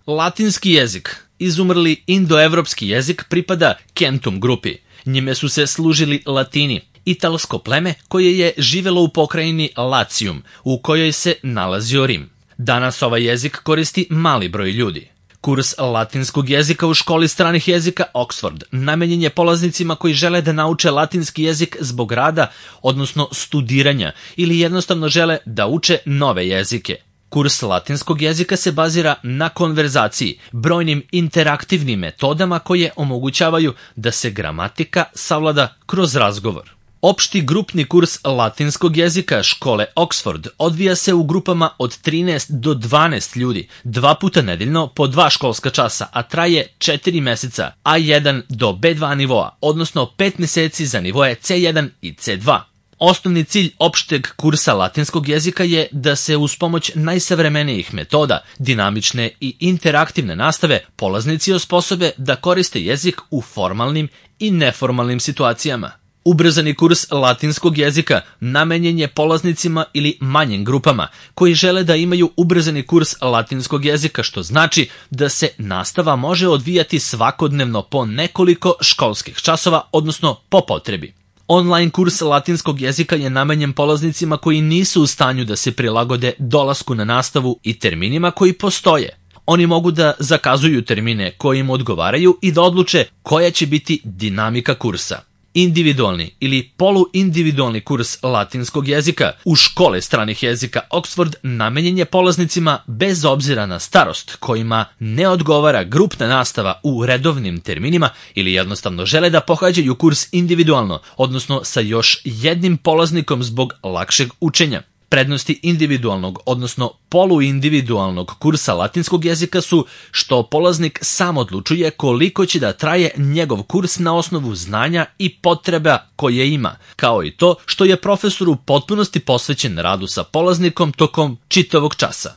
Latinski jezik, izumrli indoevropski jezik, pripada Kentum grupi. Njime su se služili Latini, italsko pleme koje je živelo u pokrajini Latium, u kojoj se nalazio Rim. Danas ovaj jezik koristi mali broj ljudi. Kurs latinskog jezika u školi stranih jezika Oxford namenjen je polaznicima koji žele da nauče latinski jezik zbog rada, odnosno studiranja, ili jednostavno žele da uče nove jezike. Kurs latinskog jezika se bazira na konverzaciji, brojnim interaktivnim metodama koje omogućavaju da se gramatika savlada kroz razgovor. Opšti grupni kurs latinskog jezika škole Oxford odvija se u grupama od 13 do 12 ljudi, 2 puta nedeljno po 2 školska časa, a traje 4 meseca A1 do B2 nivoa, odnosno 5 meseci za nivoe C1 i C2. Osnovni cilj opšteg kursa latinskog jezika je da se uz pomoć najsavremenijih metoda, dinamične i interaktivne nastave, polaznici osposobe da koriste jezik u formalnim i neformalnim situacijama. Ubrzani kurs latinskog jezika namenjen je polaznicima ili manjim grupama koji žele da imaju ubrzani kurs latinskog jezika, što znači da se nastava može odvijati svakodnevno po nekoliko školskih časova, odnosno po potrebi. Online kurs latinskog jezika je namenjen polaznicima koji nisu u stanju da se prilagode dolasku na nastavu i terminima koji postoje. Oni mogu da zakazuju termine koji im odgovaraju i da odluče koja će biti dinamika kursa. Individualni ili poluindividualni kurs latinskog jezika u škole stranih jezika Oxford namenjen je polaznicima bez obzira na starost kojima ne odgovara grupna nastava u redovnim terminima ili jednostavno žele da pohađaju kurs individualno, odnosno sa još jednim polaznikom zbog lakšeg učenja. Prednosti individualnog, odnosno poluindividualnog kursa latinskog jezika su što polaznik sam odlučuje koliko će da traje njegov kurs na osnovu znanja i potreba koje ima, kao i to što je profesor u potpunosti posvećen radu sa polaznikom tokom čitavog časa.